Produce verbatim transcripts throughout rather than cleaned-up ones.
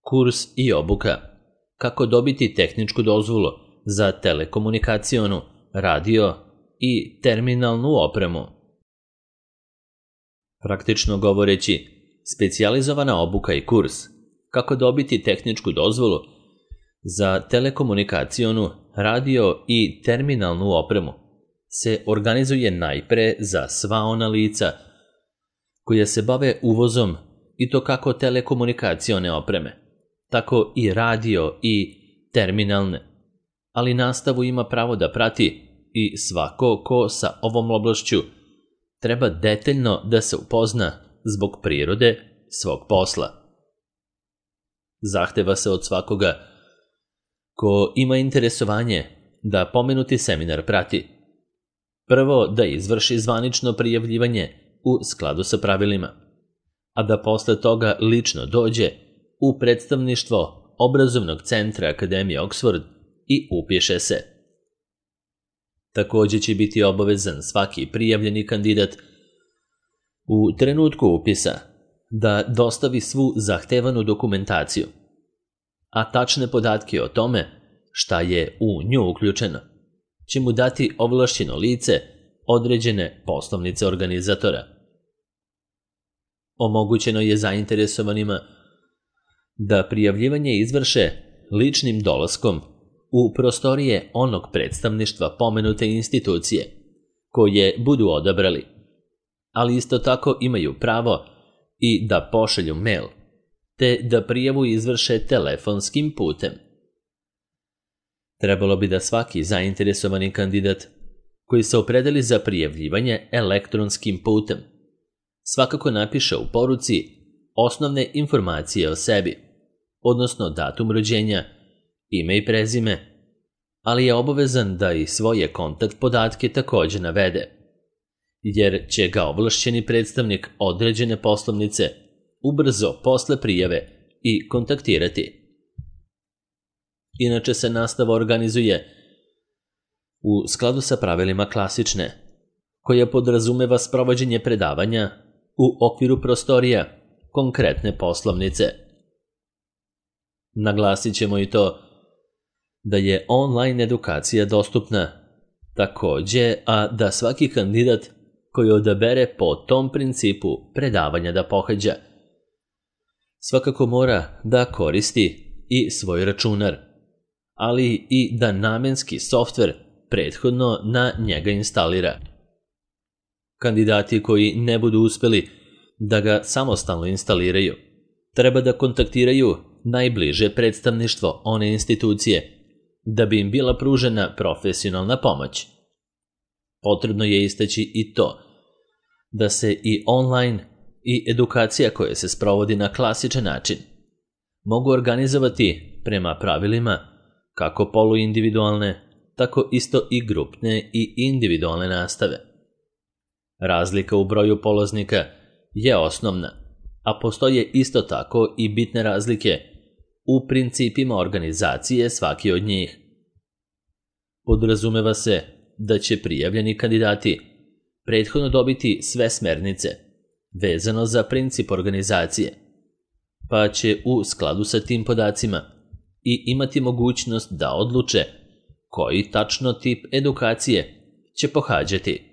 Kurs i obuka. Kako dobiti tehničku dozvolu za telekomunikacionu, radio i terminalnu opremu. Praktično govoreći, specijalizovana obuka i kurs kako dobiti tehničku dozvolu za telekomunikacionu, radio i terminalnu opremu se organizuje najpre za sva ona lica koja se bave uvozom i to kako telekomunikacione opreme, tako i radio i terminalne, ali nastavu ima pravo da prati i svako ko sa ovom oblašću treba detaljno da se upozna zbog prirode svog posla. Zahteva se od svakoga ko ima interesovanje da pomenuti seminar prati. Prvo da izvrši zvanično prijavljivanje u skladu sa pravilima, a da posle toga lično dođe u predstavništvo Obrazovnog centra Akademije Oxford i upiše se. Takođe će biti obavezan svaki prijavljeni kandidat u trenutku upisa da dostavi svu zahtevanu dokumentaciju, a tačne podatke o tome šta je u nju uključeno će mu dati ovlašćeno lice određene poslovnice organizatora. Omogućeno je zainteresovanima da prijavljivanje izvrše ličnim dolaskom u prostorije onog predstavništva pomenute institucije koje budu odabrali, ali isto tako imaju pravo i da pošalju mail, te da prijavu izvrše telefonskim putem. Trebalo bi da svaki zainteresovani kandidat koji se opredeli za prijavljivanje elektronskim putem svakako napiše u poruci osnovne informacije o sebi, odnosno datum rođenja, ime i prezime, ali je obavezan da i svoje kontakt podatke takođe navede, jer će ga ovlašćeni predstavnik određene poslovnice ubrzo posle prijave i kontaktirati. Inače se nastava organizuje u skladu sa pravilima klasične, koja podrazumeva sprovođenje predavanja u okviru prostorija konkretne poslovnice. Naglasit ćemo i to da je online edukacija dostupna takođe, a da svaki kandidat koji odabere po tom principu predavanja da pohađa svakako mora da koristi i svoj računar, ali i da namenski softver prethodno na njega instalira. Kandidati koji ne budu uspeli da ga samostalno instaliraju treba da kontaktiraju najbliže predstavništvo one institucije da bi im bila pružena profesionalna pomoć. Potrebno je istaći i to da se i online i edukacija koja se sprovodi na klasičan način mogu organizovati prema pravilima kako poluindividualne, tako isto i grupne i individualne nastave. Razlika u broju polaznika je osnovna, a postoje isto tako i bitne razlike u principima organizacije svaki od njih. Podrazumeva se da će prijavljeni kandidati prethodno dobiti sve smernice vezano za princip organizacije, pa će u skladu sa tim podacima i imati mogućnost da odluče koji tačno tip edukacije će pohađati.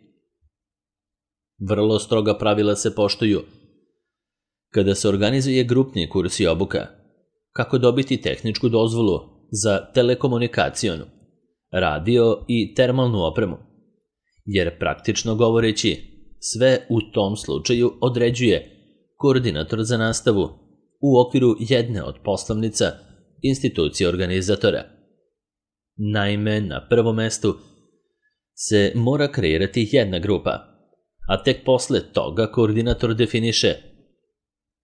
Vrlo stroga pravila se poštuju kada se organizuje grupni kurs i obuka kako dobiti tehničku dozvolu za telekomunikacionu, radio i termalnu opremu, jer praktično govoreći sve u tom slučaju određuje koordinator za nastavu u okviru jedne od poslovnica institucije organizatora. Naime, na prvom mestu se mora kreirati jedna grupa, a tek posle toga koordinator definiše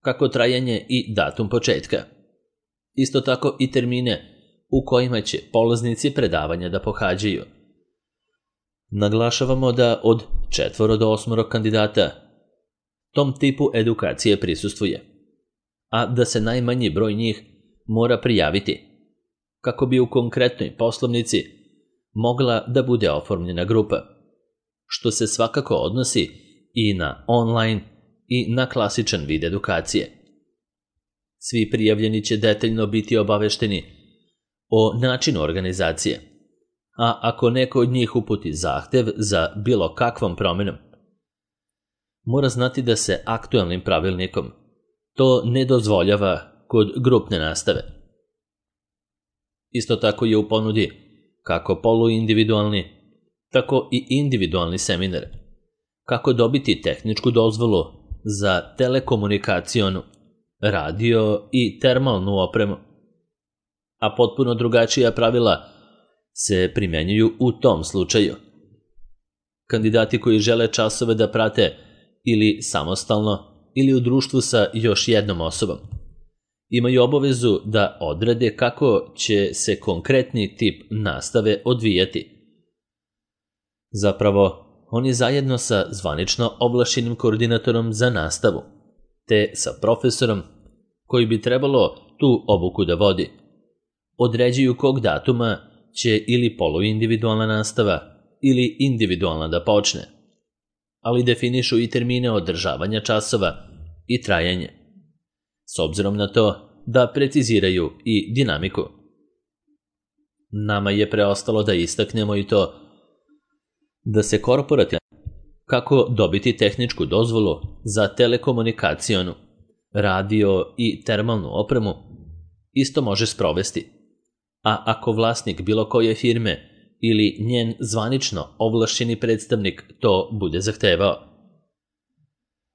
kako trajanje i datum početka. Isto tako i termine u kojima će polaznici predavanja da pohađaju. Naglašavamo da od četvoro do osmoro kandidata tom tipu edukacije prisustvuje, a da se najmanji broj njih mora prijaviti, kako bi u konkretnoj poslovnici mogla da bude oformljena grupa, što se svakako odnosi i na online i na klasičan vid edukacije. Svi prijavljeni će detaljno biti obavešteni o načinu organizacije, a ako neko od njih uputi zahtev za bilo kakvom promjenom, mora znati da se aktualnim pravilnikom to ne dozvoljava kod grupne nastave. Isto tako je u ponudi kako poluindividualni, tako i individualni seminar, kako dobiti tehničku dozvolu za telekomunikacionu, radio i termalnu opremu, a potpuno drugačija pravila se primenjuju u tom slučaju. Kandidati koji žele časove da prate ili samostalno ili u društvu sa još jednom osobom imaju obavezu da odrede kako će se konkretni tip nastave odvijati. Zapravo, oni zajedno sa zvanično ovlašćenim koordinatorom za nastavu, te sa profesorom koji bi trebalo tu obuku da vodi, određuju kog datuma će ili poluindividualna nastava ili individualna da počne, ali definišu i termine održavanja časova i trajanje, s obzirom na to da preciziraju i dinamiku. Nama je preostalo da istaknemo i to da se korporativno kako dobiti tehničku dozvolu za telekomunikacionu, radio i termalnu opremu isto može sprovesti, a ako vlasnik bilo koje firme ili njen zvanično ovlašćeni predstavnik to bude zahtevao.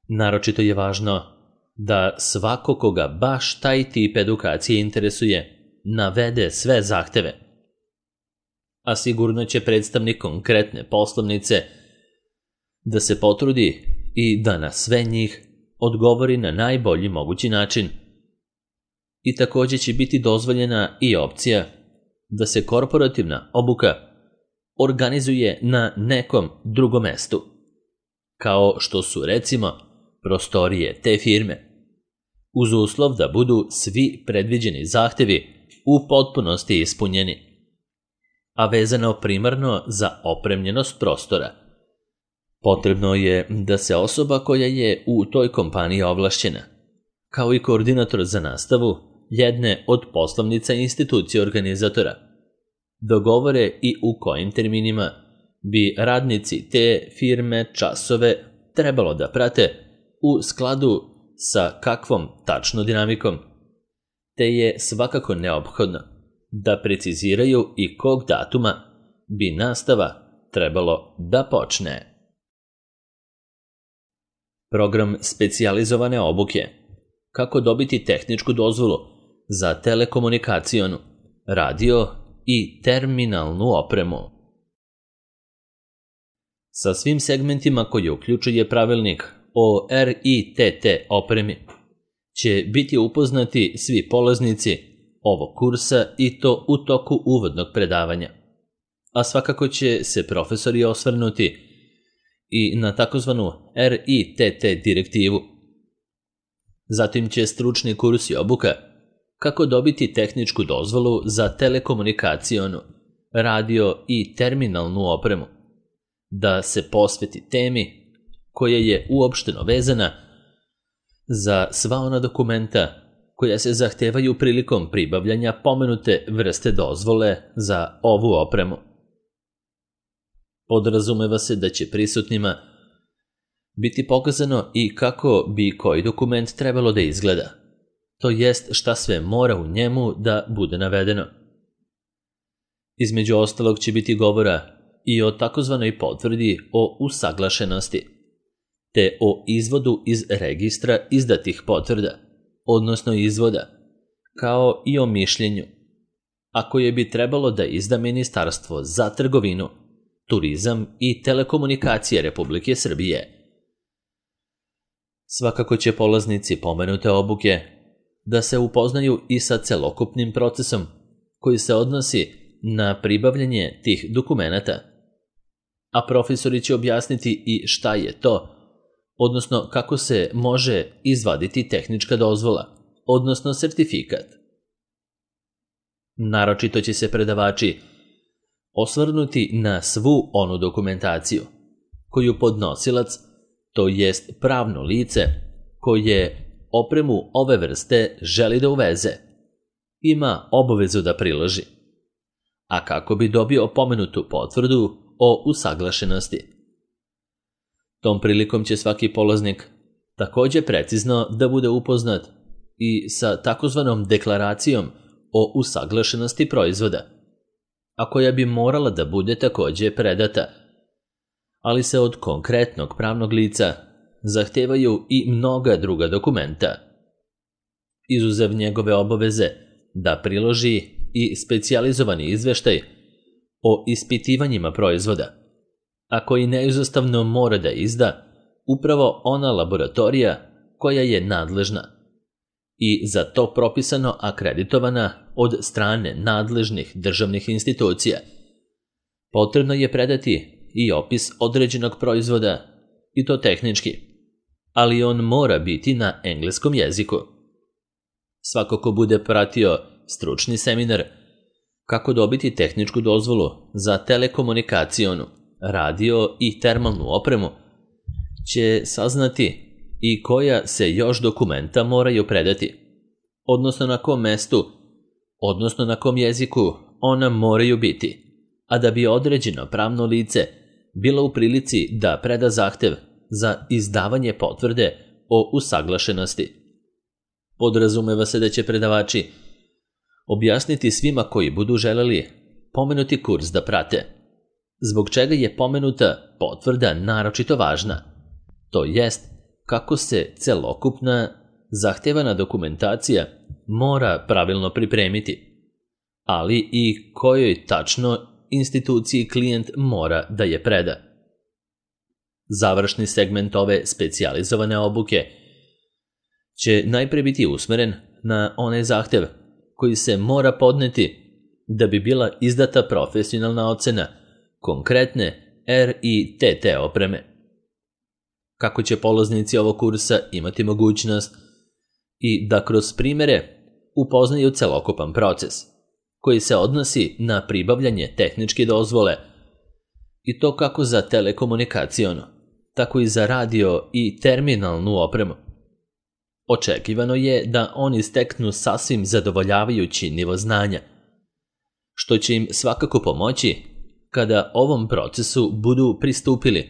Naročito je važno da svako koga baš taj tip edukacije interesuje navede sve zahteve, a sigurno će predstavnik konkretne poslovnice da se potrudi i da na sve njih odgovori na najbolji mogući način. I također će biti dozvoljena i opcija da se korporativna obuka organizuje na nekom drugom mestu, kao što su recimo prostorije te firme, uz uslov da budu svi predviđeni zahtevi u potpunosti ispunjeni, a vezano primarno za opremljenost prostora. Potrebno je da se osoba koja je u toj kompaniji ovlašćena, kao i koordinator za nastavu jedne od poslovnica institucije organizatora, dogovore i u kojim terminima bi radnici te firme časove trebalo da prate u skladu sa kakvom tačno dinamikom, te je svakako neophodno da preciziraju i kog datuma bi nastava trebalo da počne. Program specijalizovane obuke. Kako dobiti tehničku dozvolu za telekomunikacionu, radio i terminalnu opremu. Sa svim segmentima koje uključuje pravilnik o R I T T opremi će biti upoznati svi polaznici ovog kursa i to u toku uvodnog predavanja, a svakako će se profesori osvrnuti i na takozvanu R I T T direktivu. Zatim će stručni kurs i obuka kako dobiti tehničku dozvolu za telekomunikacionu, radio i terminalnu opremu, da se posveti temi koja je uopšteno vezana za sva ona dokumenta koja se zahtevaju prilikom pribavljanja pomenute vrste dozvole za ovu opremu. Podrazumeva se da će prisutnima biti pokazano i kako bi koji dokument trebalo da izgleda, to jest šta sve mora u njemu da bude navedeno. Između ostalog će biti govora i o takozvanoj potvrdi o usaglašenosti, te o izvodu iz registra izdatih potvrda, odnosno izvoda, kao i o mišljenju, a koje bi trebalo da izda Ministarstvo za trgovinu, turizam i telekomunikacije Republike Srbije. Svakako će polaznici pomenute obuke da se upoznaju i sa celokupnim procesom koji se odnosi na pribavljanje tih dokumenata, a profesori će objasniti i šta je to, odnosno kako se može izvaditi tehnička dozvola, odnosno sertifikat. Naročito će se predavači osvrnuti na svu onu dokumentaciju koju podnosilac, to jest pravno lice koje opremu ove vrste želi da uveze, ima obavezu da priloži. A kako bi dobio pomenutu potvrdu o usaglašenosti? Tom prilikom će svaki polaznik također precizno da bude upoznat i sa takozvanom deklaracijom o usaglašenosti proizvoda, a koja bi morala da bude također predata, ali se od konkretnog pravnog lica zahtevaju i mnoga druga dokumenta, izuzev njegove obaveze da priloži i specijalizovani izveštaj o ispitivanjima proizvoda, a koji neizostavno mora da izda upravo ona laboratorija koja je nadležna i za to propisano akreditovana od strane nadležnih državnih institucija. Potrebno je predati i opis određenog proizvoda, i to tehnički, ali on mora biti na engleskom jeziku. Svako ko bude pratio stručni seminar kako dobiti tehničku dozvolu za telekomunikacionu, radio i termalnu opremu, će saznati i koja se još dokumenta moraju predati, odnosno na kom mestu, odnosno na kom jeziku ona moraju biti, a da bi određeno pravno lice bilo u prilici da preda zahtev za izdavanje potvrde o usaglašenosti. Podrazumeva se da će predavači objasniti svima koji budu želeli pomenuti kurs da prate, zbog čega je pomenuta potvrda naročito važna, to jest kako se celokupna zahtevana dokumentacija mora pravilno pripremiti, ali i kojoj tačno instituciji klijent mora da je preda. Završni segment ove specijalizovane obuke će najpre biti usmeren na onaj zahtev koji se mora podneti da bi bila izdata profesionalna ocena konkretne R I T T opreme. Kako će polaznici ovog kursa imati mogućnost i da kroz primere upoznaju celokupan proces koji se odnosi na pribavljanje tehničke dozvole, i to kako za telekomunikacionu, tako i za radio i terminalnu opremu. Očekivano je da oni steknu sasvim zadovoljavajući nivo znanja, što će im svakako pomoći kada ovom procesu budu pristupili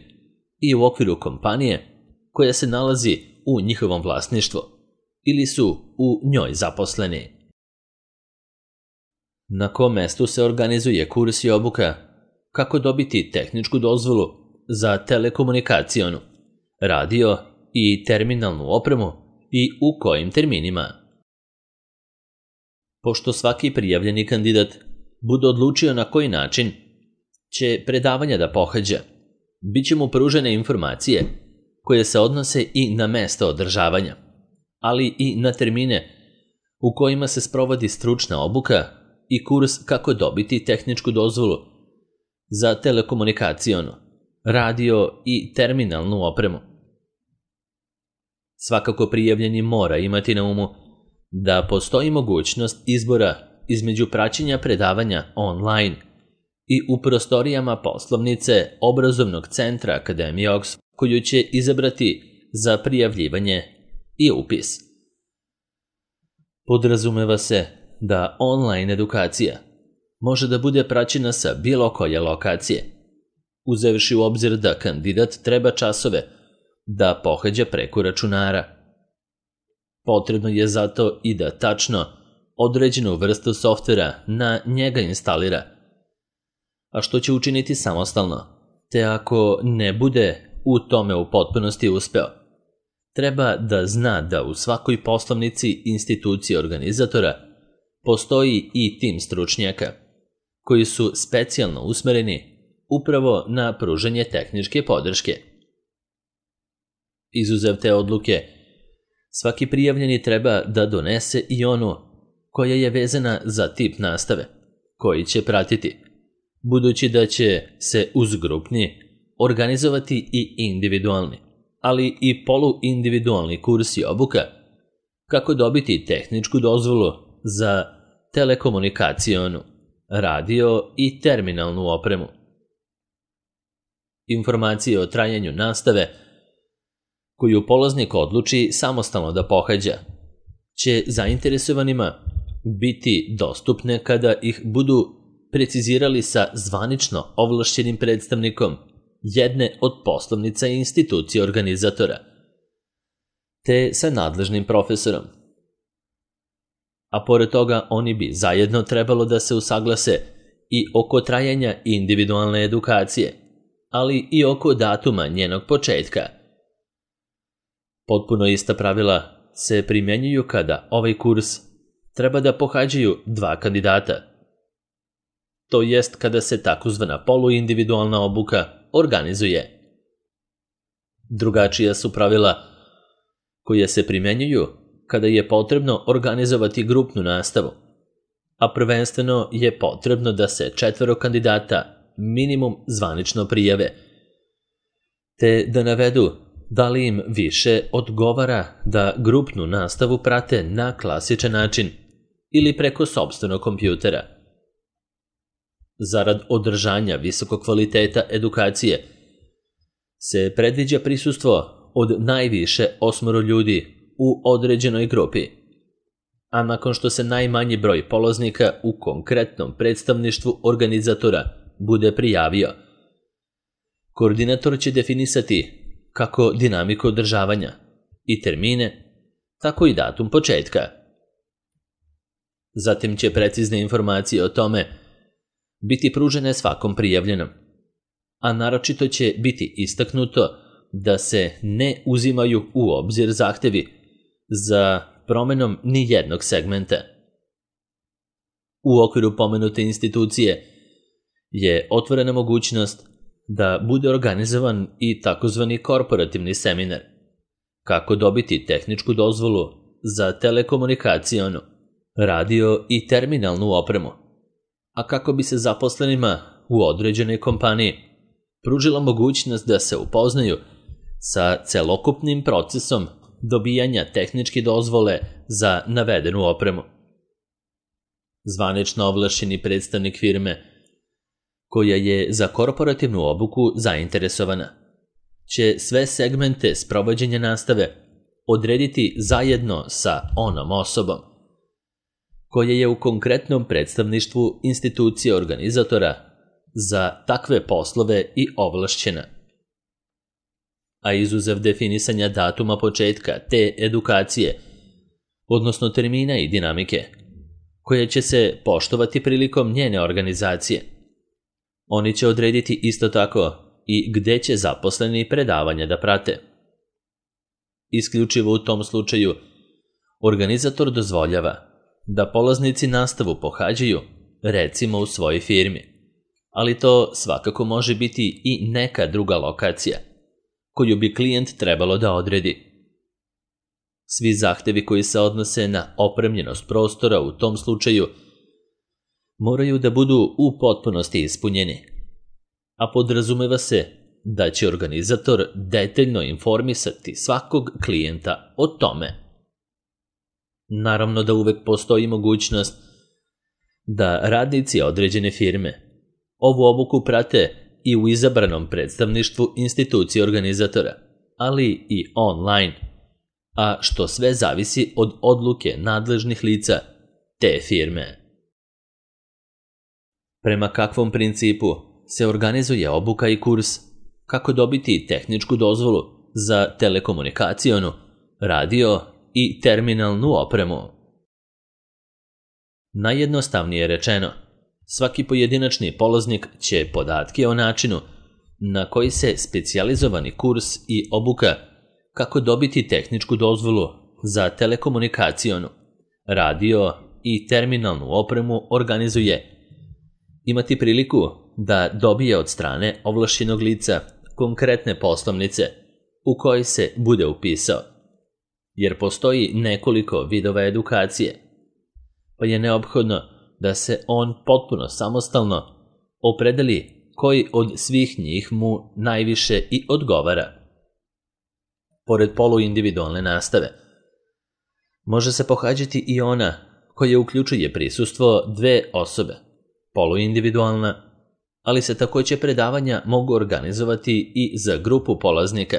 i u okviru kompanije koja se nalazi u njihovom vlasništvu ili su u njoj zaposleni. Na kom mestu se organizuje kurs i obuka kako dobiti tehničku dozvolu za telekomunikacionu, radio i terminalnu opremu i u kojim terminima? Pošto svaki prijavljeni kandidat bude odlučio na koji način će predavanja da pohađa, bit će mu pružene informacije koje se odnose i na mesto održavanja, ali i na termine u kojima se sprovodi stručna obuka i kurs kako dobiti tehničku dozvolu za telekomunikacionu, radio i terminalnu opremu. Svakako prijavljeni mora imati na umu da postoji mogućnost izbora između praćenja predavanja online i u prostorijama poslovnice obrazovnog centra Akademije Oxford, koju će izabrati za prijavljivanje i upis. Podrazumeva se da online edukacija može da bude praćena sa bilo koje lokacije, uzevši u obzir da kandidat treba časove da pohađa preko računara. Potrebno je zato i da tačno određenu vrstu softvera na njega instalira, a što će učiniti samostalno, te ako ne bude u tome u potpunosti uspeo, treba da zna da u svakoj poslovnici institucije organizatora postoji i tim stručnjaka, koji su specijalno usmereni upravo na pružanje tehničke podrške. Izuzev te odluke, svaki prijavljeni treba da donese i onu koja je vezana za tip nastave, koji će pratiti, budući da će se uz grupni organizovati i individualni, ali i poluindividualni kurs i obuka, kako dobiti tehničku dozvolu za telekomunikacionu, radio i terminalnu opremu. Informacije o trajanju nastave, koju polaznik odluči samostalno da pohađa, će zainteresovanima biti dostupne kada ih budu precizirali sa zvanično ovlašćenim predstavnikom jedne od poslovnica i institucije organizatora, te sa nadležnim profesorom. A pored toga oni bi zajedno trebalo da se usaglase i oko trajanja individualne edukacije, ali i oko datuma njenog početka. Potpuno ista pravila se primjenjuju kada ovaj kurs treba da pohađaju dva kandidata, to jest kada se takozvana poluindividualna obuka organizuje. Drugačija su pravila koja se primjenjuju kada je potrebno organizovati grupnu nastavu, a prvenstveno je potrebno da se četvoro kandidata minimum zvanično prijave, te da navedu da li im više odgovara da grupnu nastavu prate na klasičan način ili preko sopstvenog kompjutera. Zarad održanja visokog kvaliteta edukacije se predviđa prisustvo od najviše osmoro ljudi u određenoj grupi, a nakon što se najmanji broj polaznika u konkretnom predstavništvu organizatora bude prijavio, koordinator će definisati kako dinamiku održavanja i termine, tako i datum početka. Zatim će precizne informacije o tome biti pružene svakom prijavljenom, a naročito će biti istaknuto da se ne uzimaju u obzir zahtevi za promenom ni jednog segmenta. U okviru pomenute institucije je otvorena mogućnost da bude organizovan i takozvani korporativni seminar, kako dobiti tehničku dozvolu za telekomunikacionu, radio i terminalnu opremu, a kako bi se zaposlenima u određenoj kompaniji pružila mogućnost da se upoznaju sa celokupnim procesom dobijanja tehničke dozvole za navedenu opremu. Zvanično ovlašćeni predstavnik firme koja je za korporativnu obuku zainteresovana će sve segmente sprovođenja nastave odrediti zajedno sa onom osobom koja je u konkretnom predstavništvu institucije organizatora za takve poslove i ovlašćena. A izuzev definisanja datuma početka te edukacije, odnosno termina i dinamike, koja će se poštovati prilikom njene organizacije, oni će odrediti isto tako i gde će zaposleni predavanja da prate. Isključivo u tom slučaju, organizator dozvoljava da polaznici nastavu pohađaju, recimo u svojoj firmi, ali to svakako može biti i neka druga lokacija, koju bi klijent trebalo da odredi. Svi zahtevi koji se odnose na opremljenost prostora u tom slučaju moraju da budu u potpunosti ispunjeni, a podrazumeva se da će organizator detaljno informisati svakog klijenta o tome. Naravno da uvek postoji mogućnost da radnici određene firme ovu obuku prate i u izabranom predstavništvu institucije organizatora, ali i online, a što sve zavisi od odluke nadležnih lica te firme. Prema kakvom principu se organizuje obuka i kurs, kako dobiti tehničku dozvolu za telekomunikacionu, radio i terminalnu opremu? Najjednostavnije rečeno, svaki pojedinačni polaznik će podatke o načinu na koji se specijalizovani kurs i obuka kako dobiti tehničku dozvolu za telekomunikacionu, radio i terminalnu opremu organizuje, imati priliku da dobije od strane ovlašćenog lica konkretne poslovnice u kojoj se bude upisao, jer postoji nekoliko vidova edukacije, pa je neophodno da se on potpuno samostalno opredeli koji od svih njih mu najviše i odgovara. Pored poluindividualne nastave, može se pohađati i ona koja uključuje prisustvo dve osobe, poluindividualna, ali se takođe predavanja mogu organizovati i za grupu polaznika,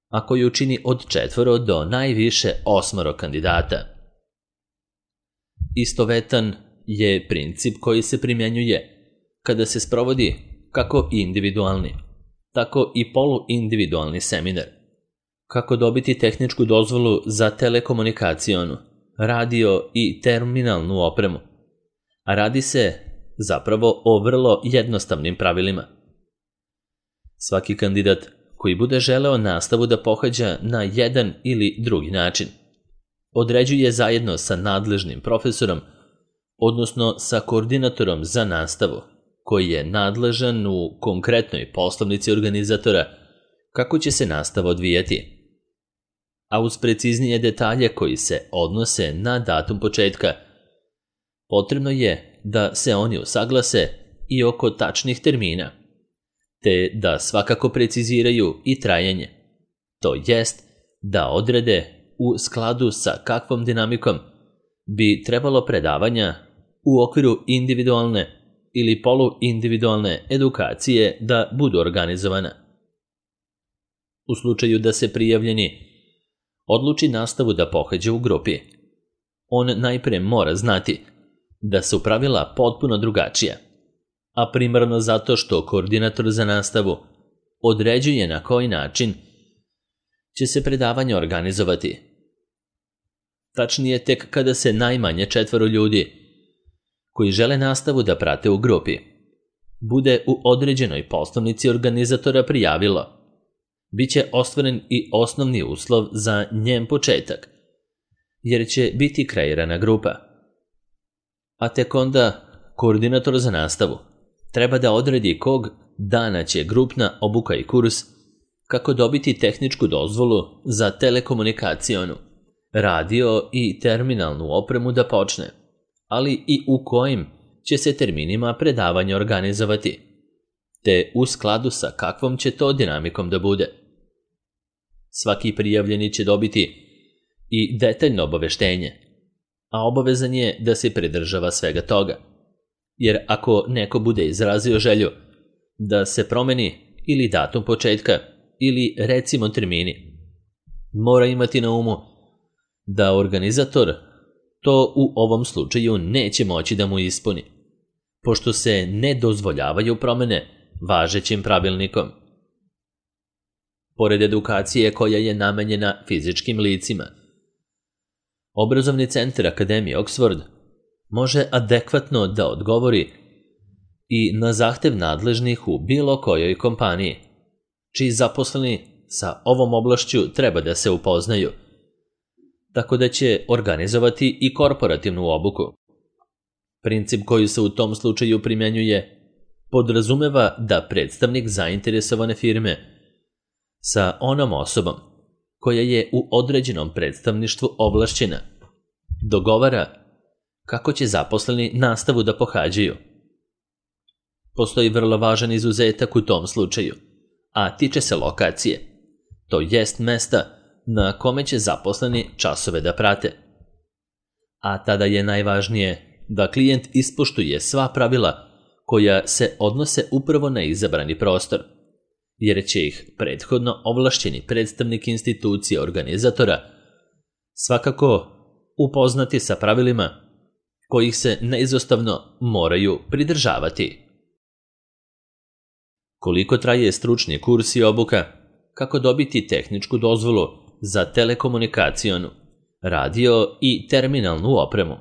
a koju čini od četvoro do najviše osmoro kandidata. Istovetan je princip koji se primjenjuje kada se sprovodi kako individualni, tako i poluindividualni seminar. Kako dobiti tehničku dozvolu za telekomunikacionu, radio i terminalnu opremu. A radi se zapravo o vrlo jednostavnim pravilima. Svaki kandidat koji bude želeo nastavu da pohađa na jedan ili drugi način, određuje zajedno sa nadležnim profesorom, odnosno sa koordinatorom za nastavu, koji je nadležan u konkretnoj poslovnici organizatora kako će se nastava odvijati. A uz preciznije detalje koji se odnose na datum početka, potrebno je da se oni usaglase i oko tačnih termina, te da svakako preciziraju i trajanje, to jest da odrede u skladu sa kakvom dinamikom bi trebalo predavanja u okviru individualne ili poluindividualne edukacije da budu organizovana. U slučaju da se prijavljeni odluči nastavu da pohađa u grupi, on najpre mora znati da su pravila potpuno drugačija, a primarno zato što koordinator za nastavu određuje na koji način će se predavanje organizovati. Tačnije, tek kada se najmanje četvoro ljudi koji žele nastavu da prate u grupi bude u određenoj poslovnici organizatora prijavilo, bit će ostvaren i osnovni uslov za njen početak, jer će biti kreirana grupa. A tek onda koordinator za nastavu treba da odredi kog dana će grupna obuka i kurs, kako dobiti tehničku dozvolu za telekomunikacionu, radio i terminalnu opremu da počne, ali i u kojim će se terminima predavanje organizovati, te u skladu sa kakvom će to dinamikom da bude. Svaki prijavljeni će dobiti i detaljno obaveštenje, a obavezan je da se pridržava svega toga, jer ako neko bude izrazio želju da se promeni ili datum početka ili recimo termini, mora imati na umu da organizator to u ovom slučaju neće moći da mu ispuni, pošto se ne dozvoljavaju promene važećim pravilnikom. Pored edukacije koja je namenjena fizičkim licima, Obrazovni centar Akademije Oxford može adekvatno da odgovori i na zahtev nadležnih u bilo kojoj kompaniji, čiji zaposleni sa ovom oblašću treba da se upoznaju, tako da će organizovati i korporativnu obuku. Princip koji se u tom slučaju primjenjuje podrazumeva da predstavnik zainteresovane firme sa onom osobom koja je u određenom predstavništvu ovlašćena dogovara kako će zaposleni nastavu da pohađaju. Postoji vrlo važan izuzetak u tom slučaju, a tiče se lokacije, to jest mesta na kome će zaposleni časove da prate. A tada je najvažnije da klijent ispoštuje sva pravila koja se odnose upravo na izabrani prostor, jer će ih prethodno ovlašćeni predstavnik institucije organizatora svakako upoznati sa pravilima kojih se neizostavno moraju pridržavati. Koliko traje stručni kurs i obuka, kako dobiti tehničku dozvolu za telekomunikacionu, radio i terminalnu opremu.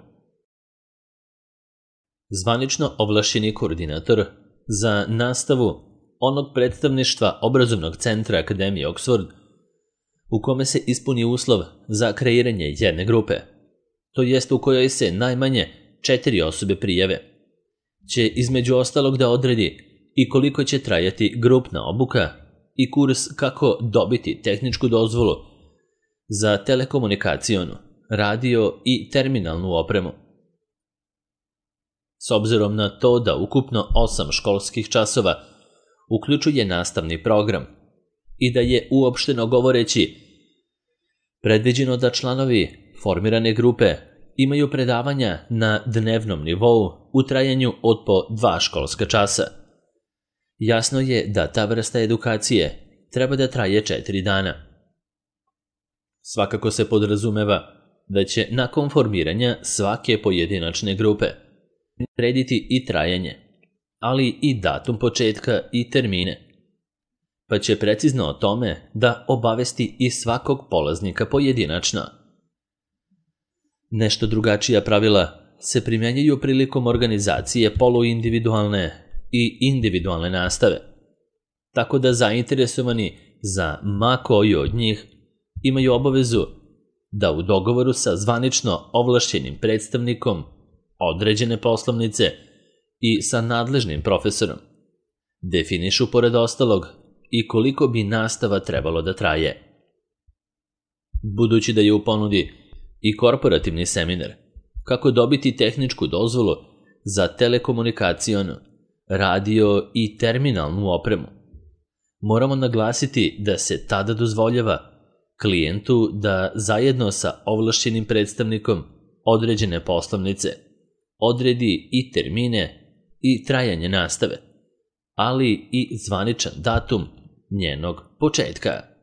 Zvanično ovlašćeni koordinator za nastavu onog predstavništva Obrazovnog centra Akademije Oxford, u kome se ispuni uslov za kreiranje jedne grupe, to jest u kojoj se najmanje četiri osobe prijave, će između ostalog da odredi i koliko će trajati grupna obuka i kurs kako dobiti tehničku dozvolu za telekomunikacionu, radio i terminalnu opremu. S obzirom na to da ukupno osam školskih časova uključuje nastavni program i da je uopšteno govoreći predviđeno da članovi formirane grupe imaju predavanja na dnevnom nivou u trajanju od po dva školska časa, jasno je da ta vrsta edukacije treba da traje četiri dana, Svakako se podrazumeva da će nakon formiranja svake pojedinačne grupe odrediti i trajanje, ali i datum početka i termine, pa će precizno o tome da obavesti i svakog polaznika pojedinačno. Nešto drugačija pravila se primjenjuju prilikom organizacije poluindividualne i individualne nastave, tako da zainteresovani za ma koju od njih imaju obavezu da u dogovoru sa zvanično ovlašćenim predstavnikom određene poslovnice i sa nadležnim profesorom definišu pored ostalog i koliko bi nastava trebalo da traje. Budući da je u ponudi i korporativni seminar kako dobiti tehničku dozvolu za telekomunikacionu, radio i terminalnu opremu, moramo naglasiti da se tada dozvoljava klijentu da zajedno sa ovlašćenim predstavnikom određene poslovnice odredi i termine i trajanje nastave, ali i zvaničan datum njenog početka.